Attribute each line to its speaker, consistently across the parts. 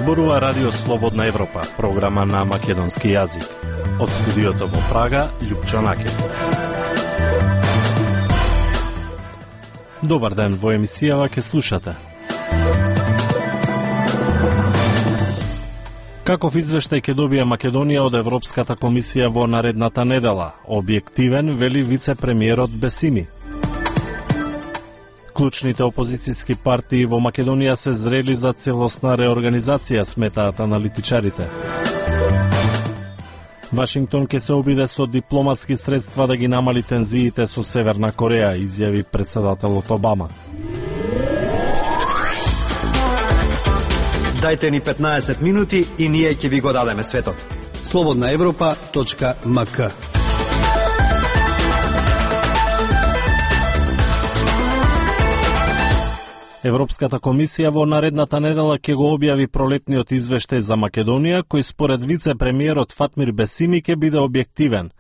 Speaker 1: Зборува Радио Слободна Европа, програма на македонски јазик. Од студиото во Прага, Љупчо Наке. Добар ден, во емисијава ке слушате. Каков извештај ќе добија Македонија од Европската комисија во наредната недела? Објективен, вели вице-премиерот Бесими. Клучните опозицијски партии во Македонија се зрели за целосна реорганизација, сметаат аналитичарите. Вашингтон ќе се обиде со дипломатски средства да ги намали тензиите со Северна Кореја, изјави председателот Обама.
Speaker 2: Дајте ни 15 минути и ние ќе ви го дадеме светот.
Speaker 3: slobodnaevropa.mk.
Speaker 1: Европската комисија во наредната недела ќе го објави пролетниот извештај за Македонија, кој според вице-премиерот Фатмир Бесими ќе биде објективен.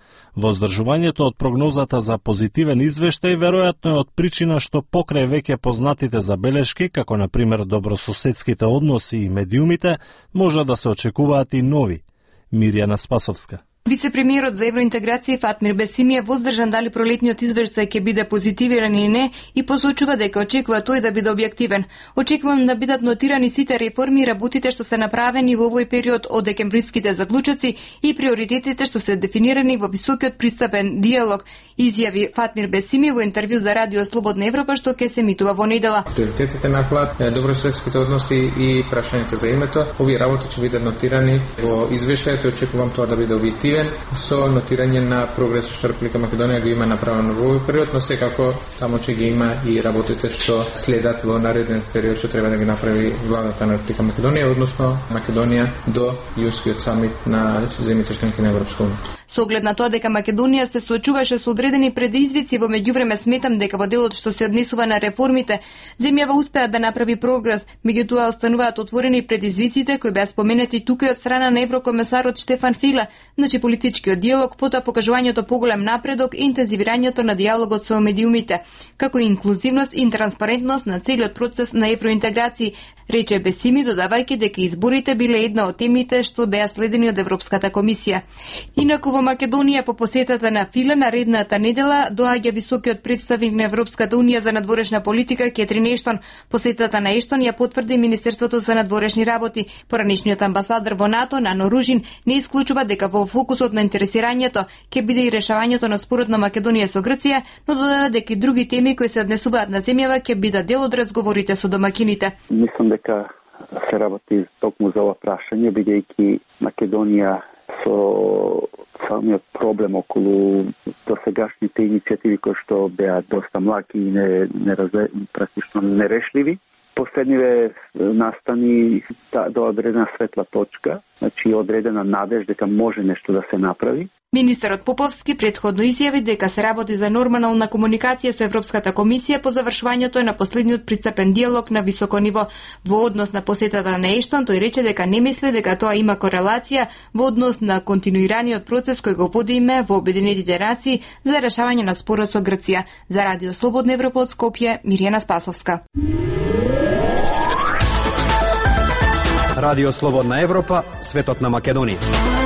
Speaker 1: Воздржувањето од прогнозата за позитивен извештај веројатно е од причина што покрај веќе познатите забелешки, како на пример добрососедските односи и медиумите, може да се очекуваат и нови. Мирјана Спасовска.
Speaker 4: Вице-премиерот за евроинтеграција Фатмир Бесими е воздржан дали пролетниот извештај ќе биде позитивен или не и посочува дека очекува тој да биде објективен. Очекувам да бидат нотирани сите реформи и работите што се направени во овој период од декемвриските заклучоци и приоритетите што се дефинирани во високиот пристапен диалог, изјави Фатмир Бесими во интервју за Радио Слободна Европа што ќе се емитува во недела.
Speaker 5: Приоритетите на ХЛАД, добрососедските односи и прашањето за името, овие работи ќе бидат нотирани во извештајот и очекувам тоа да биде објективен со нотирање на прогрес што Република Македонија го има направено во овој период, но секако таму ќе ги има и работите што следат во наредниот период што треба да ги направи владата на Република Македонија, односно Македонија до јунскиот самит на земјите членки на Европска унија.
Speaker 4: Со оглед на тоа дека Македонија се соочуваше со одредени предизвици, во меѓувреме сметам дека во делот што се однесува на реформите, земјава успеа да направи прогрес, меѓутоа остануваат отворени предизвиците кои беа споменати тука и од страна на еврокомесарот Штефан Филе, значи политичкиот диалог, потоа покажувањето поголем напредок и интензивирањето на диалогот со медиумите, како и инклузивност и транспарентност на целиот процес на евроинтеграција, рече Бесими, додавајќи дека изборите биле една од темите што беа следени од Европската комисија. Инаку во Македонија по посетата на Филе наредната недела доаѓа високиот представник на Европската унија за надворешна политика Кетрин Ештон. Посетата на Ештон ја потврди Министерството за надворешни работи. Поранешниот амбасадор во НАТО Нано Ружин не исклучува дека во фокусот на интересирањето ќе биде и решавањето на спорот на Македонија со Грција, но додава дека и други теми кои се однесуваат на земјава ќе бидат дел од разговорите со домакините.
Speaker 6: Мислам дека се работи токму за ова прашање, бидејќи Македонија со самиот проблем околу досегашните иницијативи кои што беа доста млаки и практично нерешливи. Последниве настани до одредена светла точка, значи одредена надеж дека може нешто да се направи.
Speaker 4: Министерот Поповски претходно изјави дека се работи за нормална комуникација со Европската комисија по завршувањето на последниот пристапен диалог на високо ниво. Во однос на посетата на Ештон, тој рече дека не мисли дека тоа има корелација во однос на континуираниот процес кој го водиме во Обединетите нации за решавање на спорот со Грција. За Радио Слободна Европа од Скопје, Мирјана Спасовска.
Speaker 2: Радио Слободна Европа, светот на Македонија.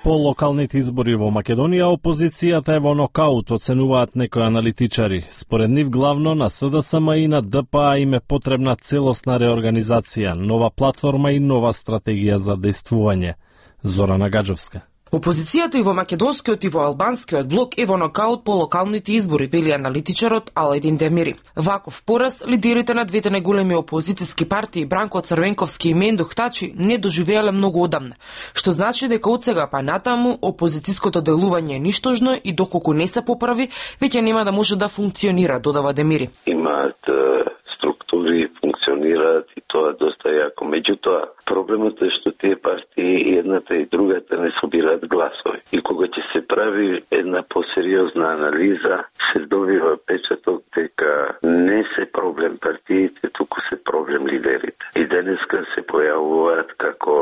Speaker 1: По локалните избори во Македонија, опозицијата е во нокаут, оценуваат некои аналитичари. Според нив главно на СДСМ и на ДПА им е потребна целосна реорганизација, нова платформа и нова стратегија за дејствување. Зорана Гаджовска.
Speaker 7: Опозицијата и во македонскиот и во албанскиот блок е во нокаут по локалните избори, вели аналитичарот Аледин Демири. Ваков пораз лидерите на двете најголеми опозицијски партии Бранко Црвенковски и Мендух Тачи не доживеале многу одамна, што значи дека од сега па натаму опозицијското делување е ништожно и доколку не се поправи, веќе нема да може да функционира, додава Демири.
Speaker 8: Имаат структури, функционираат и тоа доста јако. Меѓутоа, проблемот е што тие партии, едната и другата, не собираат гласови. И кога ќе се прави една посериозна анализа, се добива печаток дека не се проблем партиите, туку се проблем лидерите. И денеска се појавуваат како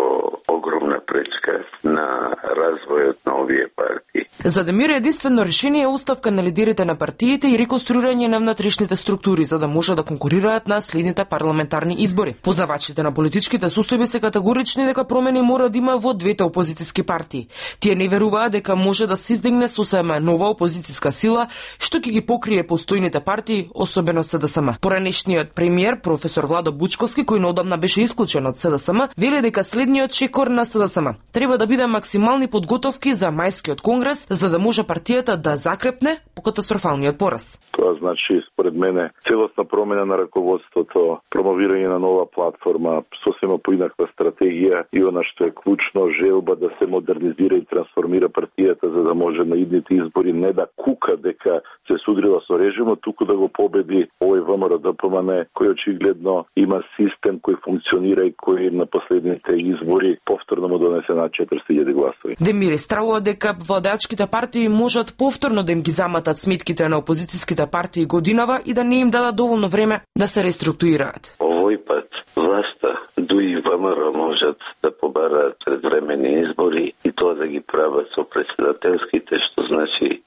Speaker 8: огромна пречка на развојот на овие партии.
Speaker 7: За Демир единствено решение е оставка на лидерите на партиите и реконструирање на внатрешните структури за да може да конкурираат на следните парламентарни избори. Познавачите на политичките состојби се категорични дека промени мора да има во двете опозицијски партии. Тие не веруваат дека може да се издигне сосема нова опозицијска сила што ќе ги покрие постојните партии, особено СДСМ. Поранешниот премиер професор Владо Бучковски, кој неодамна беше исклучен од СДСМ, вели дека следниот чекор на СДСМ треба да биде максимални подготовки за мајскиот конгрес, за да може партијата да закрепне по катастрофалниот пораз.
Speaker 3: Тоа значи, според мене, целосна промена на раководството, промовирање на нова платформа, сосема поинаква стратегија и она што е клучно, желба да се модернизира и трансформира партијата за да може на идните избори не да кука дека се судрила со режимот, туку да го победи овој ВМРО-ДПМН, кој очигледно има систем кој функционира и кој на последните избори повторно му донесе над 40.000 гласови.
Speaker 7: Демир стравува дека владеачките партии можат повторно да им ги заматат сметките на опозицијските партии годинава и да не им дадат доволно време да се реструктурираат.
Speaker 8: Овој пат власта, дуи ВМРО можат да побараат предвремени избори и тоа да ги прават со председателските, што значи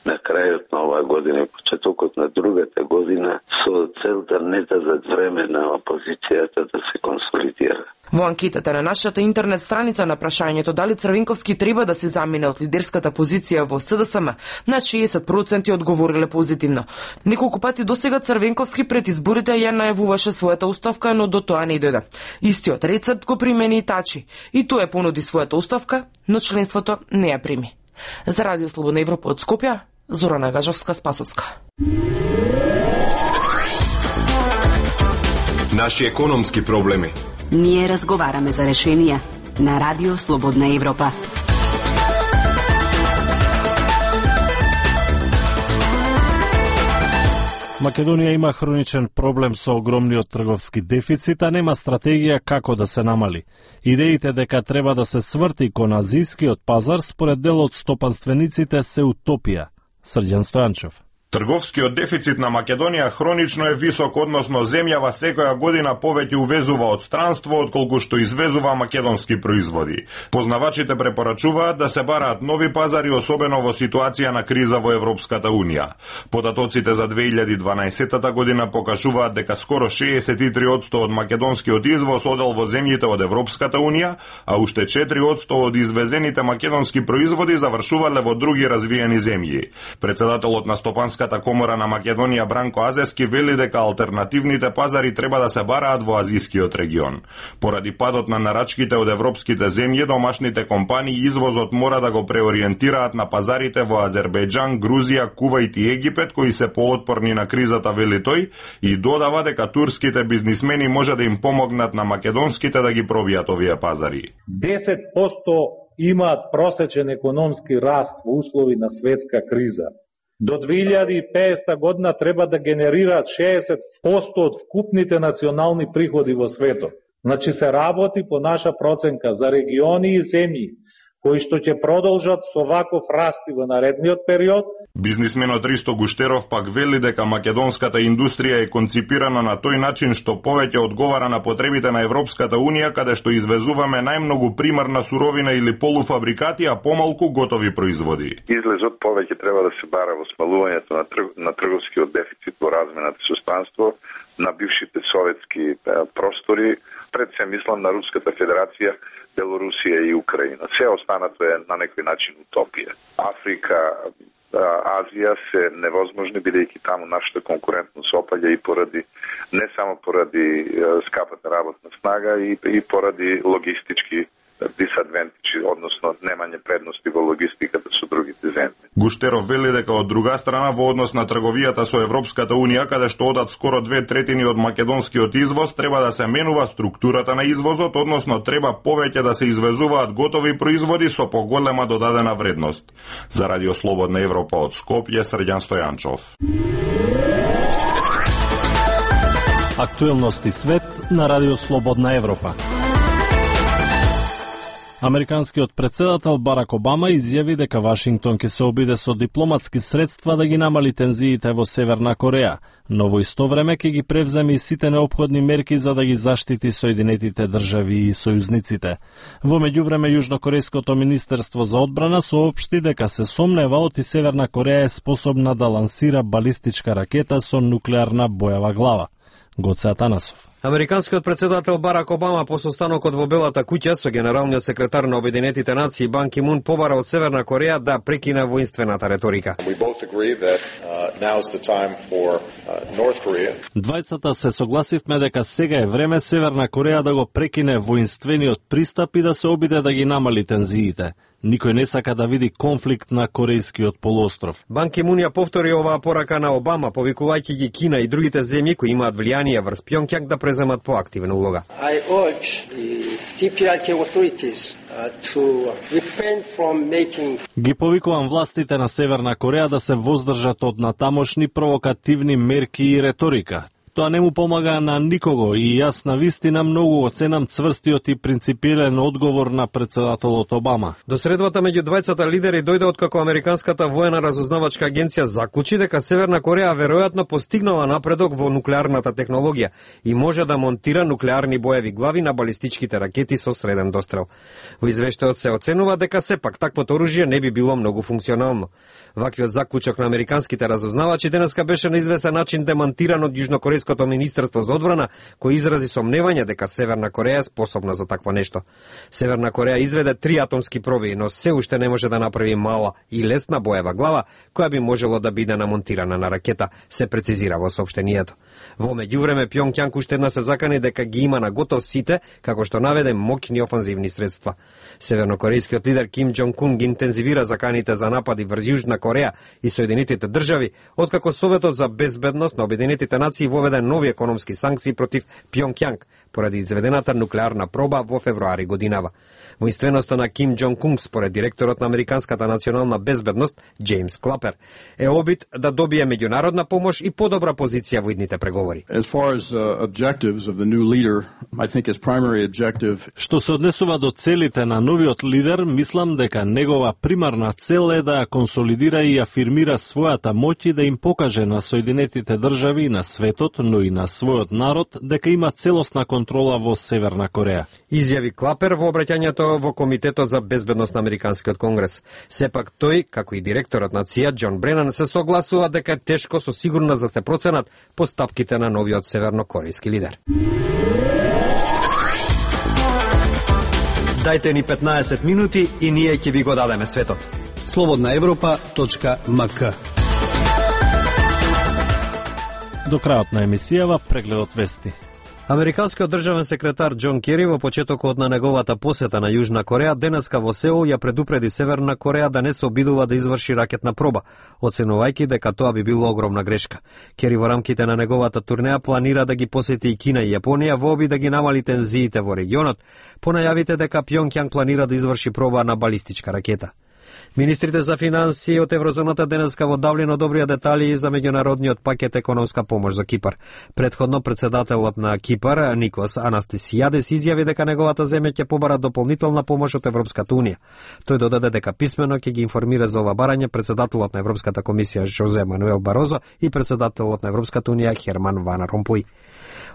Speaker 8: на крајот на оваа година и почетокот на другата година, со цел да не дадат време на опозицијата да се консолидира.
Speaker 7: Во анкетата на нашата интернет страница на прашањето дали Црвенковски треба да се замине од лидерската позиција во СДСМ, на 60% одговориле позитивно. Неколку пати досега Црвенковски пред изборите ја најавуваше својата оставка, но до тоа не дојде. Истиот рецепт го примени и Тачи, и тој понуди својата оставка, но членството не ја прими. За Радио Слободна Европа од Скопје, Зорана Гажовска-Спасовска.
Speaker 9: Наши економски проблеми.
Speaker 10: Ние разговараме за решенија на Радио Слободна Европа.
Speaker 1: Македонија има хроничен проблем со огромниот трговски дефицит, а нема стратегија како да се намали. Идеите дека треба да се сврти кон азискиот пазар според дел од стопанствениците се утопија. Срđan Стојанчев.
Speaker 11: Трговскиот дефицит на Македонија хронично е висок, односно земјава секоја година повеќе увезува од странство отколку што извезува македонски производи. Познавачите препорачуваат да се бараат нови пазари, особено во ситуација на криза во Европската Унија. Податоците за 2012 година покажуваат дека скоро 63% од македонскиот извоз одел во земјите од Европската Унија, а уште 4% од извезените македонски производи завршувале во други развиени земји. Председателот на Стопанската комора на Македонија Бранко Азески вели дека алтернативните пазари треба да се бараат во азискиот регион. Поради падот на нарачките од европските земји, домашните компании извозот мора да го преориентираат на пазарите во Азербејџан, Грузија, Кувајт и Египет, кои се поотпорни на кризата, вели тој, и додава дека турските бизнисмени може да им помогнат на македонските да ги пробијат овие пазари.
Speaker 12: 10% имаат просечен економски раст во услови на светска криза. До 2050 година треба да генерираат 60% од вкупните национални приходи во светот. Значи се работи по наша проценка за региони и земји кои што ќе продолжат со ваков раст во наредниот период.
Speaker 11: Бизнисменот Ристо Гуштеров пак вели дека македонската индустрија е конципирана на тој начин што повеќе одговара на потребите на Европската Унија, каде што извезуваме најмногу примарна суровина или полуфабрикати, а помалку готови производи.
Speaker 3: Излезот повеќе треба да се бара во смалувањето на трговскиот дефицит во размената со странство на бившите советски простори, пред се мислам на Руската федерација, Белорусија и Украина. Се останато е на некој начин утопија. Африка, Азија се невозможни, бидејќи таму нашата конкурентност опаѓа и поради, не само поради скапата работна снага, и поради логистички дисадвентичи, односно немање предности во логистиката со другите земји.
Speaker 11: Гуштеров вели дека од друга страна во однос на трговијата со Европската Унија, каде што одат скоро 2/3 од македонскиот извоз, треба да се менува структурата на извозот, односно треба повеќе да се извезуваат готови производи со поголема додадена вредност. За Радио Слободна Европа од Скопје, Срđan Стојанчов.
Speaker 1: Актуелности свет на Радио Слободна Европа. Американскиот председател Барак Обама изјави дека Вашингтон ќе се обиде со дипломатски средства да ги намали тензиите во Северна Кореја, но во исто време ќе ги превземе и сите неопходни мерки за да ги заштити Соединетите држави и сојузниците. Во меѓувреме Јужнокорејското министерство за одбрана соопшти дека се сомнева оти Северна Кореја е способна да лансира балистичка ракета со нуклеарна боева глава. Гоце Атанасов.
Speaker 2: Американскиот председател Барак Обама по состанокот во Белата куќа со генералниот секретар на Обединетите нации Бан Ки Мун побара од Северна Кореја да прекине воинствената реторика.
Speaker 1: Двајцата се согласивме дека сега е време Северна Кореја да го прекине воинствениот пристап и да се обиде да ги намали тензиите. Никој не сака да види конфликт на Корејскиот полуостров.
Speaker 2: Бан Ки Мун ја повтори оваа порака на Обама, повикувајќи ги Кина и другите земји кои имаат влијание врз Пјонкјанг да преземат поактивна улога.
Speaker 13: I urge the DPRK authorities to refrain from making...
Speaker 1: Ги повикувам властите на Северна Кореја да се воздржат од натамошни провокативни мерки и реторика. Тоа не му помага на никого и јас на вистина многу оценам цврстиот и принципиелен одговор на председателот Обама.
Speaker 2: До средбата меѓу двајцата лидери дојде откако Американската воена разузнавачка агенција заклучи дека Северна Кореја веројатно постигнала напредок во нуклеарната технологија и може да монтира нуклеарни боеви глави на балистичките ракети со среден дострел. Во извештајот се оценува дека сепак таквото оружје не би било многу функционално. Ваквиот заклучок на американските разузнавачи денеска беше на известен начин демантиран од Јужнокорејското министерство за одбрана, кој изрази сомневање дека Северна Кореја е способна за такво нешто. Северна Кореја изведе 3 атомски проби, но се уште не може да направи мала и лесна боева глава, која би можело да биде намонтирана на ракета, се прецизира во соопштението. Во меѓувреме Пјонкјанг уште една се закани дека ги има на готов сите, како што наведе моќни офанзивни средства. Севернокорејскиот лидер Ким Џонг Ун ги интензивира заканите за напади врз Јужна Кореја и Соединетите држави, откако Советот за безбедност на Обединетите нации воведе нови економски санкции против Пјонкјанг поради изведената нуклеарна проба во февруари годинава. Воинственоста на Ким Џонг Ун, според директорот на Американската национална безбедност Џејмс Клапер, е обид да добие меѓународна помош и подобра позиција во идните преговори.
Speaker 1: Што се однесува до целите на новиот лидер, мислам дека негова примарна цел е да ја консолидира и афирмира својата моќ и да им покаже на Соединетите држави и на светот, но и на својот народ, дека има целосна контрола во Северна Кореја.
Speaker 2: Изјави Клапер во обраќањето во Комитетот за безбедност на Американскиот конгрес. Сепак тој, како и директорот на ЦИА Џон Бренан, се согласува дека е тешко со сигурност да се проценат постапките на новиот севернокорејски лидер. Дајте ни 15 минути и ние ќе ви го дадеме светот.
Speaker 14: slobodnaevropa.mk.
Speaker 1: До крајот на емисијава прегледот вести.
Speaker 2: Американскиот државен секретар Џон Кери во почетокот на неговата посета на Јужна Кореја денеска во Сеул ја предупреди Северна Кореја да не се обидува да изврши ракетна проба, оценувајќи дека тоа би било огромна грешка. Кери во рамките на неговата турнеја планира да ги посети и Кина и Јапонија во обид да ги намали тензиите во регионот, по најавите дека Пјонкјанг планира да изврши проба на балистичка ракета. Министрите за финансии од Еврозоната денеска во Даблин одобрија детали за меѓународниот пакет економска помош за Кипар. Предходно председателот на Кипар, Никос Анастасијадес, изјави дека неговата земја ќе побара дополнителна помош од Европската унија. Тој додаде дека писмено ќе ги информира за ова барање председателот на Европската комисија Жозе Мануел Барозо и председателот на Европската унија Херман Ван Ромпуј.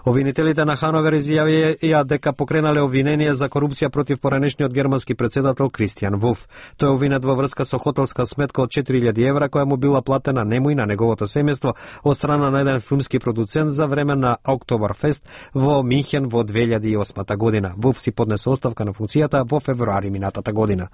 Speaker 2: Обвинителите на Хановер изјавија дека покренале обвинение за корупција против поранешниот германски председател Кристијан Вулф. Тој обвинет во врска со хотелска сметка од 4000 евра која му била платена нему и на неговото семејство од страна на еден филмски продуцент за време на Октоберфест во Минхен во 2008 година. Вулф си поднесе оставка на функцијата во февруари минатата година.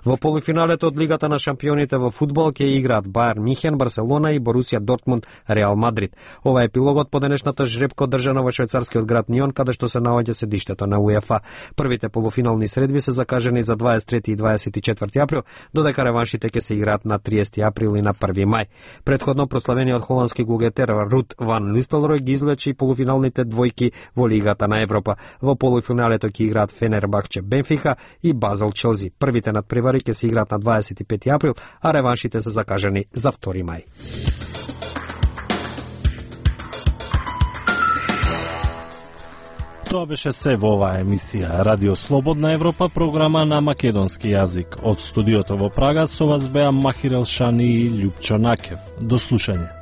Speaker 2: Во полуфиналето од Лигата на шампионите во фудбал ќе играат Бајерн Минхен, Барселона и Борусија Дортмунд, Реал Мадрид. Ова е епилогот по денешната жребка одржана во швајцарскиот град Нион, каде што се наоѓа седиштето на УЕФА. Првите полуфинални средби се закажани за 23 и 24 април, додека реваншите ќе се играат на 30 април и на 1 мај. Предходно прославениот холандски голгетер Рут Ван Нистелрој ги извлече полуфиналните двојки во Лигата на Европа. Во полуфиналето ќе играат Фенербахче Бенфика и Базел Челси. Првите надпревари ќе се играат на 25 април, а реваншите се закажани за 2 мај.
Speaker 1: Тоа беше се во оваа емисија Радио Слободна Европа, програма на македонски јазик. Од студиото во Прага со вас беа Махир Елшани и Љупчо Накев. До слушање.